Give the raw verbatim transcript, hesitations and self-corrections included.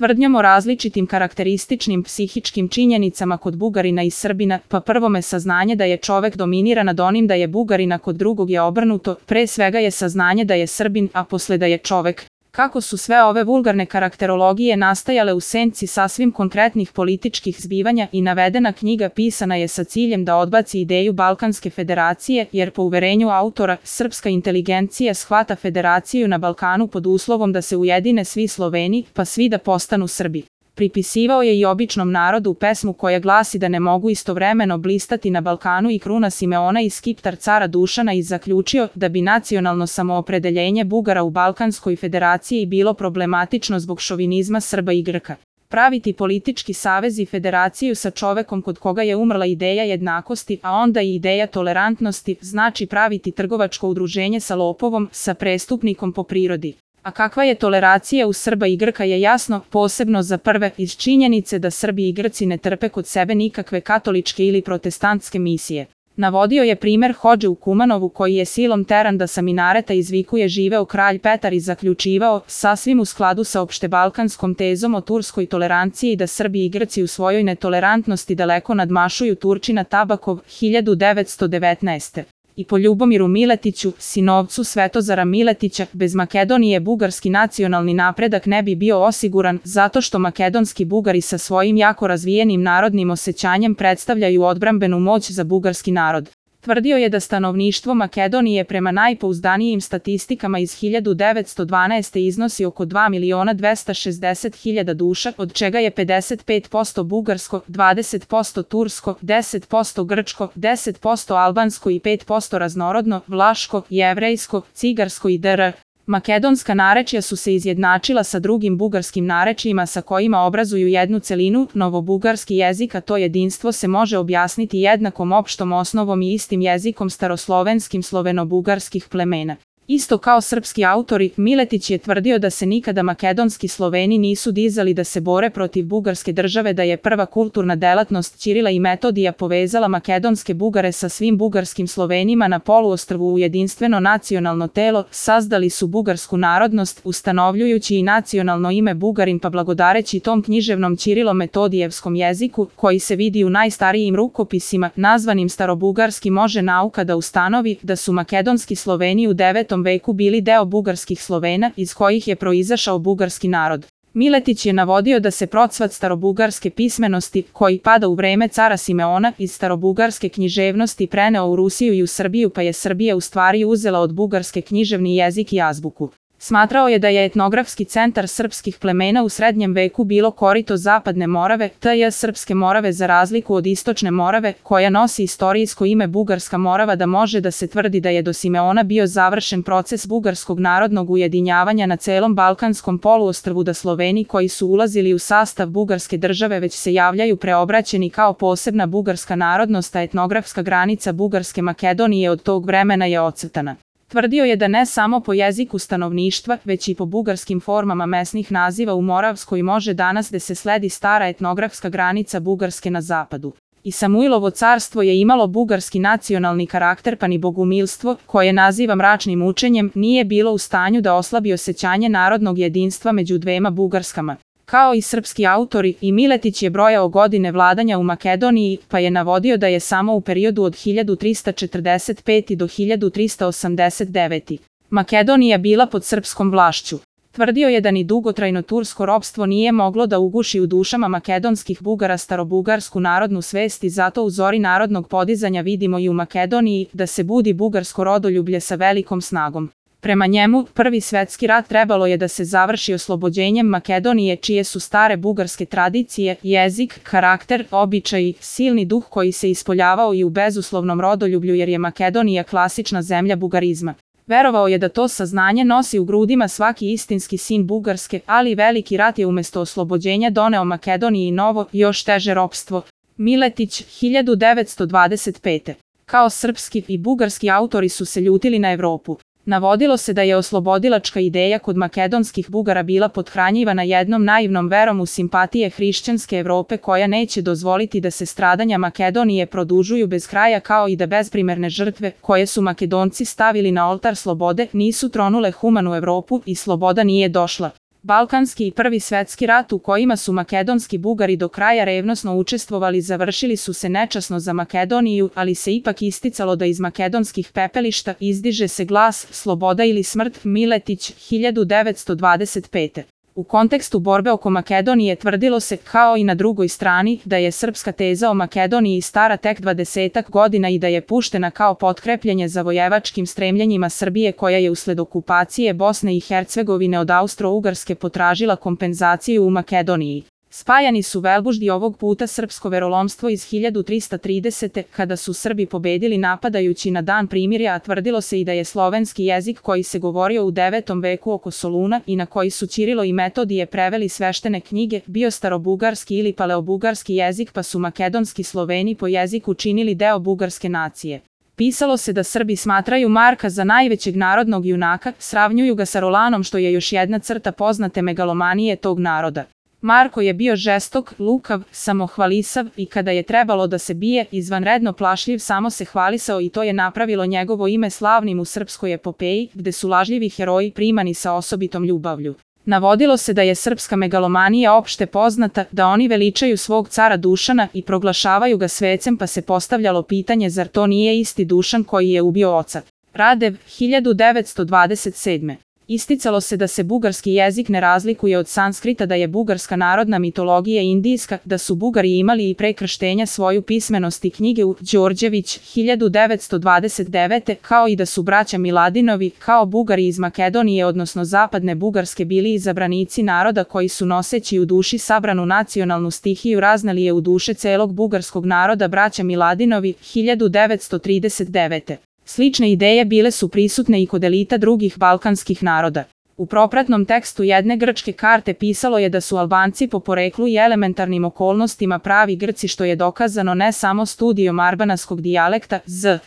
Tvrdnjom o različitim karakterističnim psihičkim činjenicama kod Bugarina i Srbina, pa prvome saznanje da je čovek dominira nad onim da je Bugarina, kod drugog je obrnuto, pre svega je saznanje da je Srbin, a posle da je čovek. Kako su sve ove vulgarne karakterologije nastajale u senci sasvim konkretnih političkih zbivanja i navedena knjiga pisana je sa ciljem da odbaci ideju Balkanske federacije, jer po uverenju autora, srpska inteligencija shvata federaciju na Balkanu pod uslovom da se ujedine svi Sloveni, pa svi da postanu Srbi. Pripisivao je i običnom narodu pesmu koja glasi da ne mogu istovremeno blistati na Balkanu i kruna Simeona i skiptar cara Dušana i zaključio da bi nacionalno samoopredeljenje Bugara u Balkanskoj federaciji bilo problematično zbog šovinizma Srba i Grka. Praviti politički savez i federaciju sa čovekom kod koga je umrla ideja jednakosti, a onda i ideja tolerantnosti, znači praviti trgovačko udruženje sa lopovom, sa prestupnikom po prirodi. A kakva je toleracija u Srba i Grka je jasno, posebno za prve, iz činjenice da Srbi i Grci ne trpe kod sebe nikakve katoličke ili protestantske misije. Navodio je primer hodže u Kumanovu koji je silom teran da sa minareta izvikuje živeo kralj Petar i zaključivao, sasvim u skladu sa opštebalkanskom tezom o turskoj toleranciji, da Srbi i Grci u svojoj netolerantnosti daleko nadmašuju Turčina Tabakov hiljadu devetsto devetnaeste. I po Ljubomiru Miletiću, sinovcu Svetozara Miletića, bez Makedonije bugarski nacionalni napredak ne bi bio osiguran, zato što makedonski Bugari sa svojim jako razvijenim narodnim osećanjem predstavljaju odbrambenu moć za bugarski narod. Tvrdio je da stanovništvo Makedonije prema najpouzdanijim statistikama iz hiljadu devetsto dvanaeste. iznosi oko dva miliona dvesta šezdeset hiljada duša, od čega je pedeset pet posto bugarsko, dvadeset posto tursko, deset posto grčko, deset posto albansko i pet posto raznorodno, vlaško, jevrejsko, cigarsko i dr. Makedonska narečja su se izjednačila sa drugim bugarskim narečjima sa kojima obrazuju jednu celinu, novobugarski jezik, a to jedinstvo se može objasniti jednakom opštom osnovom i istim jezikom staroslovenskim sloveno-bugarskih plemena. Isto kao srpski autori, Miletić je tvrdio da se nikada makedonski Sloveni nisu dizali da se bore protiv bugarske države, da je prva kulturna delatnost Ćirila i Metodija povezala makedonske Bugare sa svim bugarskim Slovenima na poluostrvu u jedinstveno nacionalno telo, sazdali su bugarsku narodnost, ustanovljujući i nacionalno ime Bugarin, pa blagodareći tom književnom Ćirilo-metodijevskom jeziku, koji se vidi u najstarijim rukopisima, nazvanim starobugarski, može nauka da ustanovi da su makedonski Sloveni u devetom veku bili deo bugarskih Slovena, iz kojih je proizašao bugarski narod. Miletić je navodio da se procvat starobugarske pismenosti, koji pada u vreme cara Simeona, iz starobugarske književnosti preneo u Rusiju i u Srbiju, pa je Srbija u stvari uzela od bugarske književni jezik i azbuku. Smatrao je da je etnografski centar srpskih plemena u srednjem veku bilo korito Zapadne Morave, tj. Srpske Morave, za razliku od Istočne Morave, koja nosi istorijsko ime Bugarska Morava, da može da se tvrdi da je do Simeona bio završen proces bugarskog narodnog ujedinjavanja na celom Balkanskom poluostrvu, da Sloveni koji su ulazili u sastav bugarske države već se javljaju preobraćeni kao posebna bugarska narodnost, a etnografska granica Bugarske Makedonije od tog vremena je ocrtana. Tvrdio je da ne samo po jeziku stanovništva, već i po bugarskim formama mesnih naziva u Moravskoj može danas da se sledi stara etnografska granica Bugarske na zapadu. I Samuilovo carstvo je imalo bugarski nacionalni karakter, pa ni bogumilstvo, koje naziva mračnim učenjem, nije bilo u stanju da oslabi osjećanje narodnog jedinstva među dvema Bugarskama. Kao i srpski autori, i Miletić je brojao godine vladanja u Makedoniji, pa je navodio da je samo u periodu od hiljadu trista četrdeset pete. do hiljadu trista osamdeset devete. Makedonija bila pod srpskom vlašću. Tvrdio je da ni dugotrajno tursko ropstvo nije moglo da uguši u dušama makedonskih Bugara starobugarsku narodnu svest, i zato u zori narodnog podizanja vidimo i u Makedoniji da se budi bugarsko rodoljublje sa velikom snagom. Prema njemu, Prvi svetski rat trebalo je da se završi oslobođenjem Makedonije, čije su stare bugarske tradicije, jezik, karakter, običaji, silni duh koji se ispoljavao i u bezuslovnom rodoljublju, jer je Makedonija klasična zemlja bugarizma. Verovao je da to saznanje nosi u grudima svaki istinski sin Bugarske, ali veliki rat je umesto oslobođenja doneo Makedoniji novo, još teže ropstvo. Miletić, hiljadu devetsto dvadeset pete. Kao srpski i bugarski autori su se ljutili na Evropu. Navodilo se da je oslobodilačka ideja kod makedonskih Bugara bila pothranjivana jednom naivnom verom u simpatije hrišćanske Evrope, koja neće dozvoliti da se stradanja Makedonije produžuju bez kraja, kao i da bezprimerne žrtve, koje su Makedonci stavili na oltar slobode, nisu tronule humanu Evropu i sloboda nije došla. Balkanski i Prvi svetski rat u kojima su makedonski Bugari do kraja revnosno učestvovali završili su se nečasno za Makedoniju, ali se ipak isticalo da iz makedonskih pepelišta izdiže se glas sloboda ili smrt. Miletić, hiljadu devetsto dvadeset pete. U kontekstu borbe oko Makedonije tvrdilo se, kao i na drugoj strani, da je srpska teza o Makedoniji stara tek dvadesetak godina i da je puštena kao potkrepljenje zavojevačkim stremljenjima Srbije koja je usled okupacije Bosne i Hercegovine od Austro-Ugarske potražila kompenzaciju u Makedoniji. Spajani su Velbuždi ovog puta srpsko verolomstvo iz hiljadu trista tridesete. kada su Srbi pobedili napadajući na dan primirja, a tvrdilo se i da je slovenski jezik koji se govorio u devetom veku oko Soluna i na koji su Ćirilo i Metodije preveli sveštene knjige, bio starobugarski ili paleobugarski jezik, pa su makedonski Sloveni po jeziku činili deo bugarske nacije. Pisalo se da Srbi smatraju Marka za najvećeg narodnog junaka, sravnjuju ga sa Rolanom, što je još jedna crta poznate megalomanije tog naroda. Marko je bio žestok, lukav, samohvalisav i kada je trebalo da se bije, izvanredno plašljiv, samo se hvalisao i to je napravilo njegovo ime slavnim u srpskoj epopeji, gde su lažljivi heroji primani sa osobitom ljubavlju. Navodilo se da je srpska megalomanija opšte poznata, da oni veličaju svog cara Dušana i proglašavaju ga svecem, pa se postavljalo pitanje zar to nije isti Dušan koji je ubio oca. Radev, hiljadu devetsto dvadeset sedme. Isticalo se da se bugarski jezik ne razlikuje od sanskrita, da je bugarska narodna mitologija indijska, da su Bugari imali i pre krštenja svoju pismenost i knjige u Đorđević, hiljadu devetsto dvadeset devete. kao i da su braća Miladinovi, kao Bugari iz Makedonije odnosno zapadne Bugarske, bili izabranici naroda koji su noseći u duši sabranu nacionalnu stihiju raznali je u duše celog bugarskog naroda. Braća Miladinovi, hiljadu devetsto trideset devete. Slične ideje bile su prisutne i kod elita drugih balkanskih naroda. U propratnom tekstu jedne grčke karte pisalo je da su Albanci po poreklu i elementarnim okolnostima pravi Grci, što je dokazano ne samo studijom arbanaskog dijalekta z.